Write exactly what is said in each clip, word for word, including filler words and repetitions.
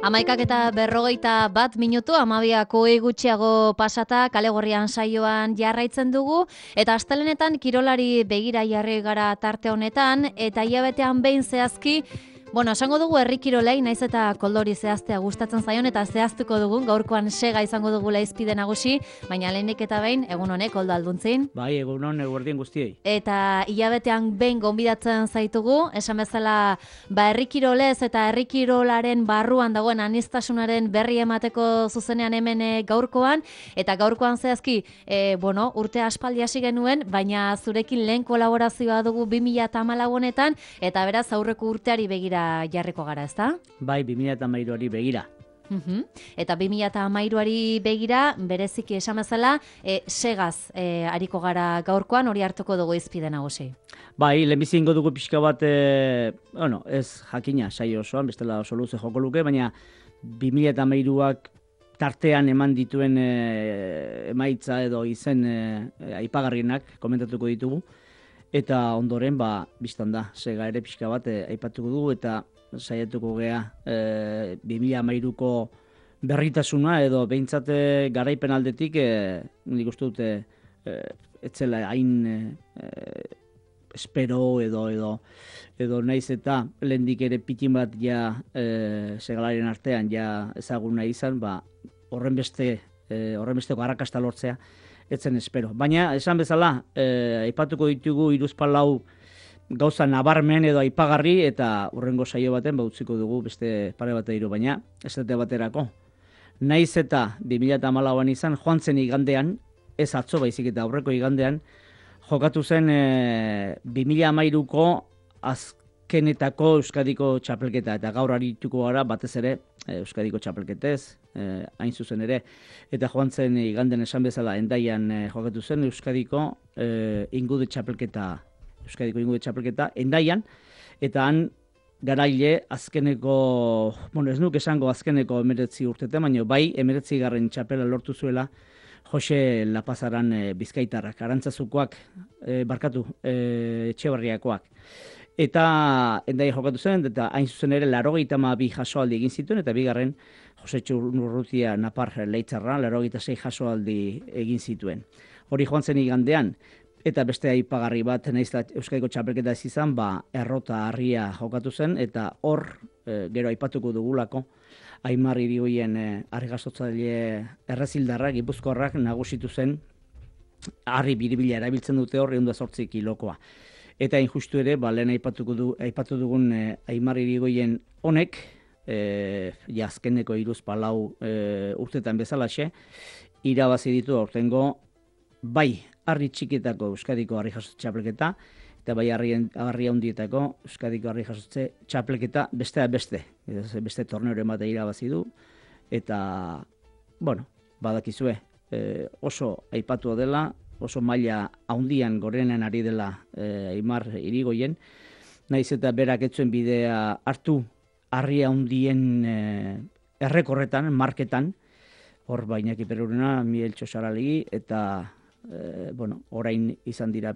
Amaikak eta berrogeita bat minutu, amabiako gutxiago pasata, kale gorrian saioan jarraitzen dugu, eta astelenetan kirolari begira jarri gara tarte honetan, eta hilabetean behin zehazki, bueno, esango dugu herri kirolei, naiz eta koldori zehaztea gustatzen zaion, eta zehaztuko dugun, gaurkoan sega izango dugu laizpide nagusi, baina lehenik eta behin, egun honek, Koldo Alduntzin. Bai, egun hon, eguerdien guztiei. Eta hilabetean behin gonbidatzen zaitugu, esan bezala, ba, herri kirolez eta herri kirolaren barruan dagoen aniztasunaren berri emateko zuzenean hemen gaurkoan, eta gaurkoan zehazki, e, bueno, urte aspaldi hasi genuen, baina zurekin lehen kolaborazioa dugu bi mila hamalau honetan, eta beraz aurreko urteari begira jarriko gara, ezta? Bai, bi mila hamairuari begira. Uhum. Eta bi mila hamairuari begira, bereziki esan bezala, e, segaz e, ariko gara gaurkoan, hori hartuko dugu izpide nagusi. Bai, lehenbizi ingo dugu pixka bat, e, bueno, ez jakina saio osoan, bestela oso luze joko luke, baina bi mila hamairuak tartean eman dituen e, emaitza edo izen e, aipagarrienak komentatuko ditugu, eta ondoren, ba, biztan da, sega ere pixka bat e, aipatuko dugu, eta saiatuko gea e, bi mila hamairuko berritasuna edo behintzat garaipen aldetik e, nik uste dute e, etzela hain e, espero edo edo edo naiz eta lehendik ere pitin bat ja e, segalaren artean ja ezaguna izan, ba, horren beste e, horren besteko arrakasta lortzea etzen espero. Baina esan bezala e, aipatuko ditugu hiruzpalau gauza nabarmen edo aipagarri, eta hurrengo saio baten ba utziko dugu beste pare bat hiru, baina esate baterako. Naiz eta bi mila hamalauan izan, joan zen igandean, ez atzo baizik eta aurreko igandean, jokatu zen e, bi mila hamairuko azkenetako Euskadiko txapelketa, eta gaur arituko gara batez ere e, Euskadiko txapelketez, e, hain zuzen ere, eta joan zen igandean esan bezala Hendaian e, jokatu zen Euskadiko e, ingude txapelketa Euskadiko ingude txapelketa, Hendaian, eta han garaile azkeneko, bueno, ez nuk esango azkeneko emeretzi urtete, baina bai emeretzi garren txapela lortu zuela Jose Lapazaran e, Bizkaitarrak, Arantzazukoak, e, barkatu, e, Etxebarriakoak. Eta Hendaia jokatu zen, eta hain zuzen ere laurogeita hamabi jasoaldi egin zituen, eta bigarren Jose Txurrutia Napar Leitzarra laurogeita sei jasoaldi egin zituen. Hori joan zen igandean. Eta beste aipagarri bat, nahiz da Euskadiko txapelketa ez izan, ba, Errota Harria jokatu zen, eta hor, e, gero aipatuko dugulako, Aimar Irigoien e, argazotzaile errezildarrak, gipuzkoarrak nagusitu zen, harri biribila erabiltzen dute hor, ehun eta zortzi kilokoa. Eta injustu ere, ba, lehen aipatuko du, aipatu dugun e, Aimar Irigoien honek, e, jazkeneko hiruzpalau e, urtetan bezalaxe, irabazi ditu aurtengo, bai, harri txikitako Euskadiko harri jasotze txapelketa, eta bai harri handietako Euskadiko harri jasotze txapelketa besteak beste. Beste torneoren bat irabazi du, eta, bueno, badakizue, e, oso aipatua dela, oso maila handian gorenean ari dela e, Aimar Irigoien, naiz eta berak etzuen bidea hartu harri handien e, errekorretan, marketan, hor Iñaki Perurena, Miguel Txosaralegi, eta E, bueno, orain izan dira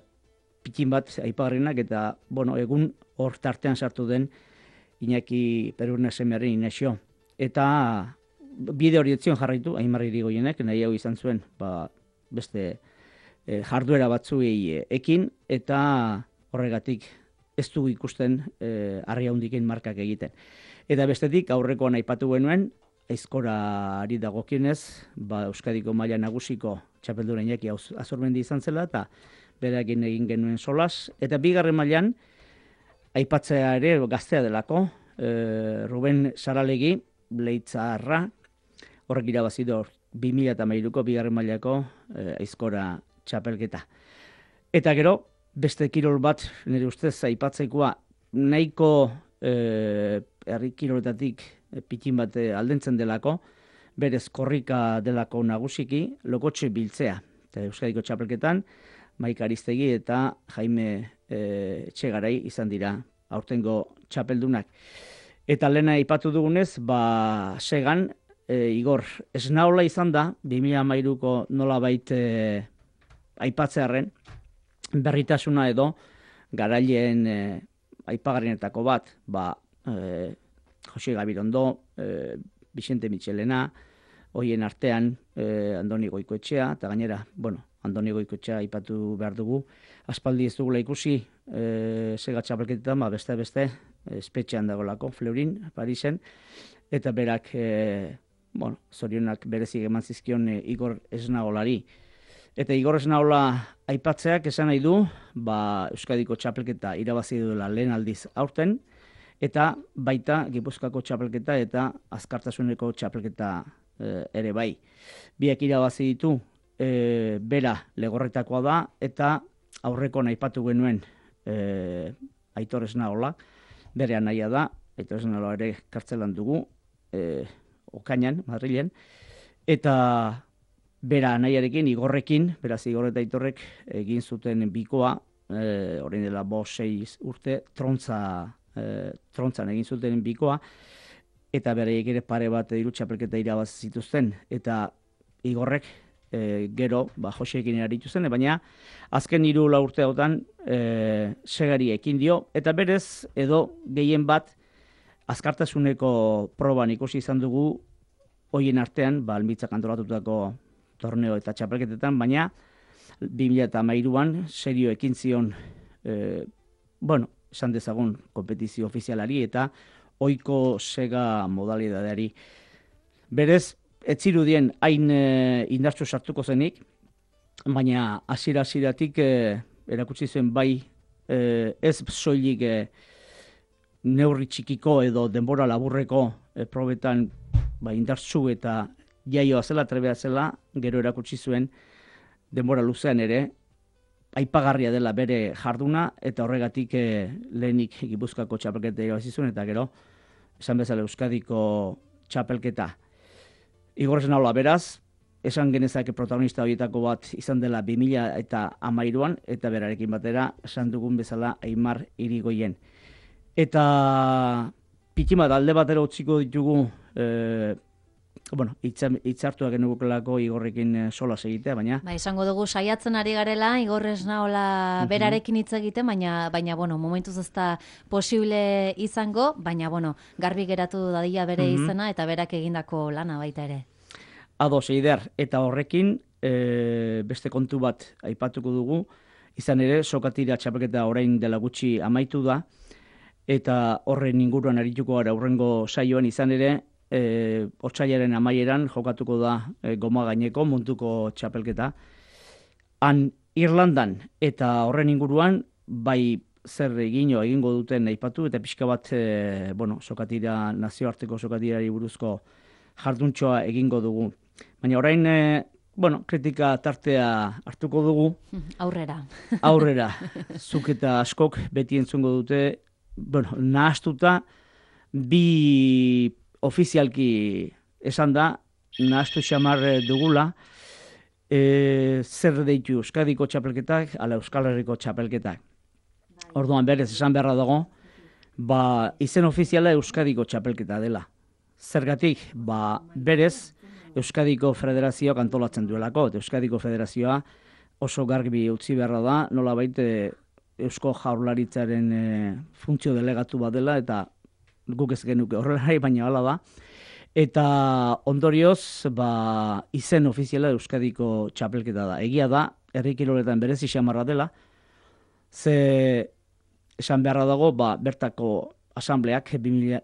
pikin bat aipagarrienak, eta bueno, egun hor tartean sartu den Iñaki Perurena semearen Inexio. Eta bide hori etzion jarraitu, Aimar Irigoienek, nahi hau izan zuen, ba, beste e, jarduera batzuei ekin, eta horregatik ez dugu ikusten e, harri handiken markak egiten. Eta bestetik aurrekoan aipatu genuen, aizkorari dagokionez, ba, Euskadiko maila nagusiko txapeldura Iñaki Azurmendi izan zela, eta berakin egin genuen solas. Eta bigarren mailan aipatzea ere gaztea delako, e, Ruben Saralegi, Leitzarra, horrek irabazi du bi mila hamairuko bigarren mailako e, aizkora txapelketa. Eta gero, beste kirol bat, nire ustez aipatzekoa, nahiko e, herri kiroletatik pitin bat aldentzen delako, berez korrika delako nagusiki, Lokotxe Biltzea. Eta Euskadiko txapelketan, Maika Aristegi eta Jaime e, Etxegarai izan dira aurtengo txapeldunak. Eta lehena aipatu dugunez, ba, segan, e, Igor Esnaola izan da, bi mila hamairuko nolabait e, aipatzearren, berritasuna edo garaileen e, aipagarrienetako bat, ba, e, Jose Gabirondo, e, Vicente Michelena, hoien artean eh, Andoni Goikoetxea, eta gainera, bueno, Andoni Goikoetxea aipatu behar dugu, aspaldi ez dugula ikusi eh, sega txapelketetan, ba, beste beste, espetxean dagolako, Fleurin, Parisen, eta berak, eh, bueno, zorionak berezik eman zizkion eh, Igor Esnaolari. Eta Igor Esnaola aipatzeak esan nahi du, ba, Euskadiko txapelketa irabazi duela lehen aldiz aurten, eta baita Gipuzkoako txapelketa eta Azkartasuneko txapelketa e, ere bai. Biak irabazi ditu, e, bera Legorretakoa da, eta aurreko aipatu genuen e, Aitor Esnaola, bere anaia da, Aitor Esnaola ere kartzelan dugu, e, Okainan, Madrilen, eta bera anaiarekin, Igorrekin, beraz Igor eta Aitorrek egin zuten bikoa, e, orain dela bost sei urte, trontza E, trontzan egin zuten bikoa, eta bereiek ere pare bat hiru txapelketa irabazi zituzten, eta Igorrek e, gero ba, Joseekin aritu zen, baina azken hiru lau urte hautan e, segari ekin dio, eta berez edo gehien bat azkartasuneko proban ikusi izan dugu hoien artean, ba, almitzak antolatutako torneo eta txapelketetan, baina bi mila hamairuan serio ekin zion e, bueno, esan dezagun kompetizio ofizialari eta ohiko sega modalidadeari. Berez, ez zirudien hain e, indartsu sartuko zenik, baina hasiera-hasieratik e, erakutsi zuen bai e, ez soilik e, neurri txikiko edo denbora laburreko e, probetan ba, indartsu eta jaioa zela, trebea zela, gero erakutsi zuen denbora luzean ere, aipagarria dela bere jarduna, eta horregatik eh, lehenik Gipuzkoako txapelketa irabazi zuen, eta gero, esan bezala Euskadiko txapelketa. Igor Esnaola beraz, esan genezake protagonista horietako bat izan dela bi mila hamairuan, eta berarekin batera, esan dugun bezala Aimar Irigoyen. Eta pitima alde batera utziko ditugu, eh, bueno, hitzartuak genukelako Igorrekin sola egitea, baina... Ba, izango dugu saiatzen ari garela, Igor Esnaola berarekin hitz egiten, baina, baina, bueno, momentuz ez da posible izango, baina, bueno, garbi geratu dadila bere izena eta berak egindako lana baita ere. Ados, eider, eta horrekin e, beste kontu bat aipatuko dugu, izan ere, sokatira txapelketa orain dela gutxi amaitu da, eta horren inguruan arituko gara aurrengo saioan izan ere, E, otsailaren amaieran jokatuko da e, goma gaineko munduko txapelketa. Han Irlandan eta horren inguruan bai zer egino egingo duten aipatu eta pixka bat e, bueno, sokatira, nazioarteko sokatirari buruzko jarduntxoa egingo dugu. Baina orain e, bueno, kritika tartea hartuko dugu. Aurrera. Aurrera. Zuk eta askok beti entzungo dute, bueno, nahastuta bi ofizialki esan da, nahaztu xamar dugula, e, zer deitu Euskadiko txapelketak, ala Euskal Herriko txapelketak. Orduan berez esan beharra dago, ba, izen ofiziala Euskadiko txapelketa dela. Zergatik, ba, berez Euskadiko Federazioak antolatzen duelako, eta Euskadiko Federazioa oso garbi utzi beharra da, nola baite Eusko Jaurlaritzaren e, funtzio delegatu bat dela, eta guk ez genuke horrelari, baina hala da. Eta ondorioz, ba, izen ofiziala Euskadiko txapelketa da. Egia da, herri kiroletan berezi xamarra dela, ze esan beharra dago, ba, bertako asambleak,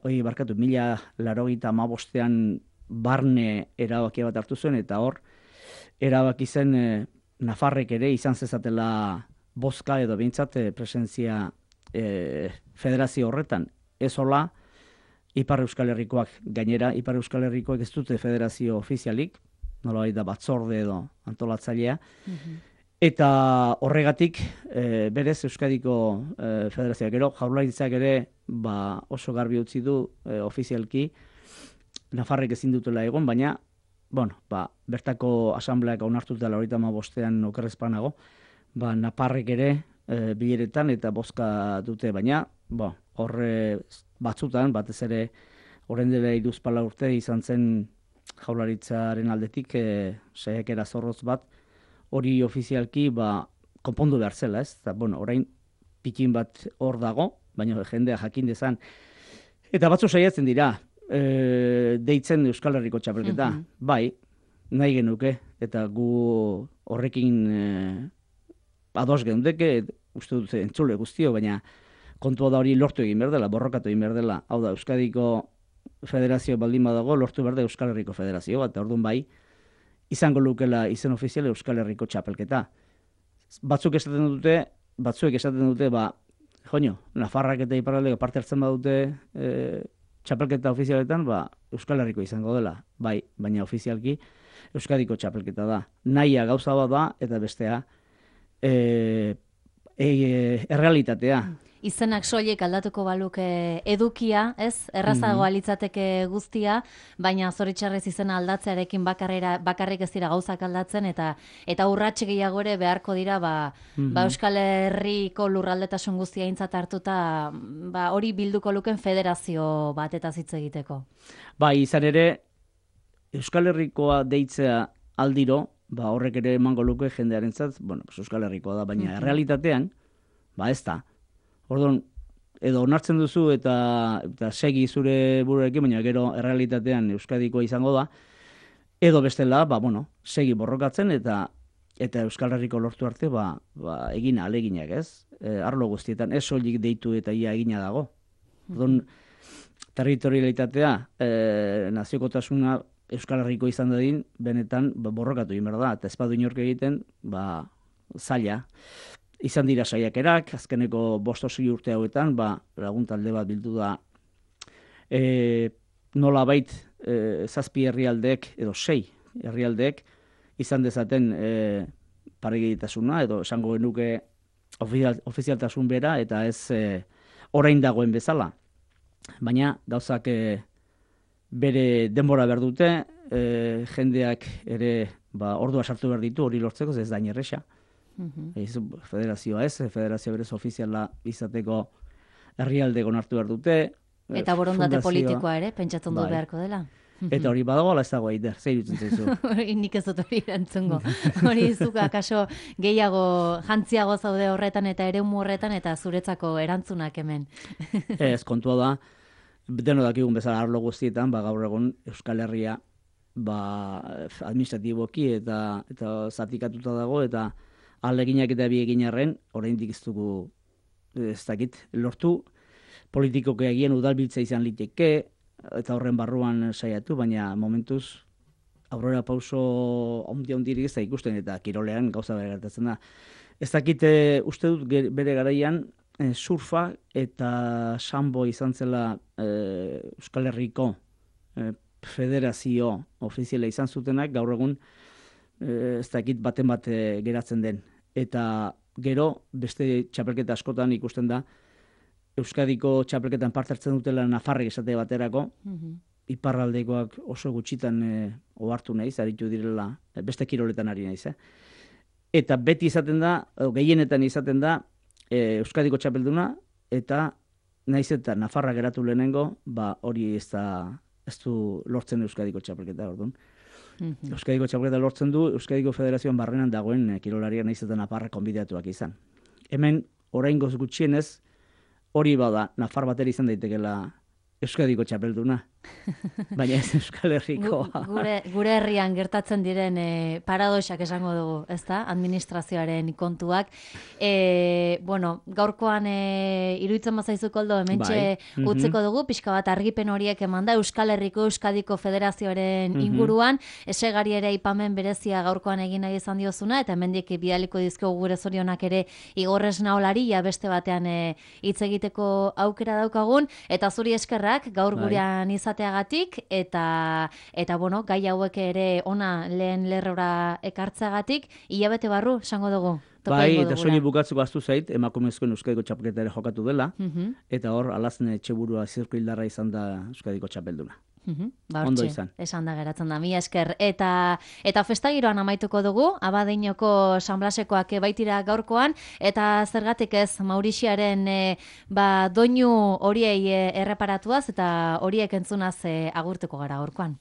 oi, barkatu, mila larogeita hamabostean barne erabakia bat hartu zuen, eta hor, erabaki zen e, Nafarrek ere izan zezatela bozka edo behintzat presentzia e, federazio horretan. Ez hola, Ipar Euskal Herrikoak gainera, Ipar Euskal Herrikoak ez dute federazio ofizialik, nola da batzorde edo antolatzailea, mm-hmm. Eta horregatik, e, berez Euskadiko e, federazioak gero, Jaurlaritzak ere ba, oso garbi utzi du e, ofizialki, Nafarrek ezin dutela egon, baina bueno, ba, bertako asambleak onartuta laurogeita hamabostean okerrezpanago, ba, Nafarrek ere e, bileretan eta bozka dute, baina ba, horre batzutan, batez ere orain dela hiruzpalau urte izan zen Jaurlaritzaren aldetik e, saiakera zorrotz bat, hori ofizialki ba, konpondu behar zela, ez? Eta, bueno, orain pikin bat hor dago, baina jendea jakin dezan. Eta batzu saiatzen dira, e, deitzen Euskal Herriko txapelketa. Mhm. Bai, nahi genuke, eta gu horrekin e, ados geundeke, uste dut entzule guztio, baina kontua da hori lortu egin behar dela, borrokatu egin behar dela. Hau da, Euskadiko federazio baldin badago, lortu behar da Euskal Herriko federazio bat, orduan bai, izango lukela izen ofizial Euskal Herriko txapelketa. Batzuk esaten dute, batzuek esaten dute, ba, joño, Nafarrak eta Iparraldeko parte hartzen badute e, txapelketa ofizialetan, ba, Euskal Herriko izango dela, bai, baina ofizialki Euskadiko txapelketa da. Nahia gauza bat da, eta bestea, e, e, errealitatea. Izenak soilik aldatuko baluke edukia, ez? Errazagoa litzateke guztia, baina zoritxarrez izena aldatzearekin bakarrera, bakarrik ez dira gauzak aldatzen, eta eta urratxe gehiago ere beharko dira, ba, Mhm. ba Euskal Herriko lurraldetasun guztia aintzat hartuta, ba, hori bilduko luken federazio batetaz hitz egiteko. Bai, izan ere, Euskal Herrikoa deitzea aldiro, ba, horrek ere emango luke jendearentzat, bueno, pues Euskal Herrikoa da, baina errealitatean, ba, ez da. Orduan, edo onartzen duzu eta, eta segi zure buruarekin, baina gero errealitatean Euskadikoa izango da, edo bestela, ba, bueno, segi borrokatzen eta eta Euskal Herriko lortu arte, ba, ba egin aleginak, ez? E, arlo guztietan, ez soilik deitu eta ia egina dago. Orduan, territorialitatea, e, naziokotasuna Euskal Herriko izan dadin, benetan ba, borrokatu egin behar da, eta ez badu inork egiten, ba, zaila. Izan dira saiakerak, azkeneko bost sei urte hauetan, ba, lagun talde bat bildu da, e, nolabait e, zazpi herrialdeek, edo sei herrialdeek, izan dezaten e, paregitasuna, edo esango genuke ofizial, ofizialtasun bera, eta ez e, orain dagoen bezala. Baina gauzak e, bere denbora behar dute, e, jendeak ere ba, ordua sartu behar ditu, hori lortzeko, ez da inerresa. Ez, federazioa ez, federazioa berez ofiziala izateko herrialdeko onartu behar dute. Eta borondate fundazioa, politikoa ere, pentsatzen du bai. beharko dela. Eta hori badago, ala ez dago aider, zer irutzen zaizu. Nik ez dut hori erantzungo. Hori zuk akaso gehiago jantziago zaude horretan eta eremu horretan eta zuretzako erantzunak hemen. Ez, kontua da, deno dakigun bezala arlo guztietan, ba, gaur egun Euskal Herria ba, administratiboki eta, eta zatikatuta dago, eta aleginak eta bi egin arren, oraindik ez dugu, ez dakit, lortu, politikoke egien udalbiltza izan liteke, eta horren barruan saiatu, baina momentuz aurrera pauso ondia ondirik ez da ikusten, eta kirolean gauza bere gertatzen da. Ez dakit, uste dut bere garaian, e, surfa eta sambo izan zela e, Euskal Herriko e, federazio ofiziala izan zutenak, gaur egun e, ez dakit baten bat geratzen den. Eta gero, beste txapelketa askotan ikusten da, Euskadiko txapelketan parte hartzen dutela Nafarrek esate baterako, Mhm. iparraldekoak oso gutxitan e, ohartu naiz, aritu direla, beste kiroletan ari naiz. Eh? Eta beti izaten da, o, gehienetan izaten da, e, Euskadiko txapelduna, eta naiz eta Nafarra geratu lehenengo, ba hori ez da, ez du lortzen Euskadiko txapelketa, orduan. Mhm. Euskadiko txapelketa lortzen du, Euskadiko Federazioan barrenan dagoen e, kirolaria naiz eta Nafarra konbidatuak izan. Hemen, oraingoz gutxienez, hori bada, Nafar batera izan daitekela Euskadiko txapelduna. Baina ez Euskal Herrikoa. Gu- Gure, gure herrian gertatzen diren e, paradoxak esango dugu, ezta? Administrazioaren kontuak. E, bueno, gaurkoan e, iruditzen bazaizu koldo, hementxe Bai. Mhm. utziko dugu, pixka bat argipen horiek emanda Euskal Herriko Euskadiko Federazioaren Mhm. inguruan, esegari ere ipamen berezia gaurkoan egin nahi izan diozuna, eta hemendik bidaliko dizkiogu gure zorionak ere igorrez naolari, ja beste batean e, hitz egiteko aukera daukagun, eta zuri eskerrak gaur Bai. gurean izateagatik, eta eta bueno, gai hauek ere ona lehen lerrora ekartzeagatik, hilabete barru, esango dugu. topa Bai, egingo eta dugula. soilik bukatzeko ahaztu zait, emakumezkoen Euskadiko txapelketa ere jokatu dela, Mhm, eta hor, alazne etxeburua zirkuildarra izan da Euskadiko txapelduna. mhm, ba, Ondo hortxe, izan. esan da geratzen da, mila esker. Eta, eta festagiroan amaituko dugu, Abadeinoko San Blasekoak baitira gaurkoan, eta zergatik ez Maurixiaren e, ba, doinu horiei e, erreparatuaz, eta horiek entzunaz e, agurtuko gara gaurkoan.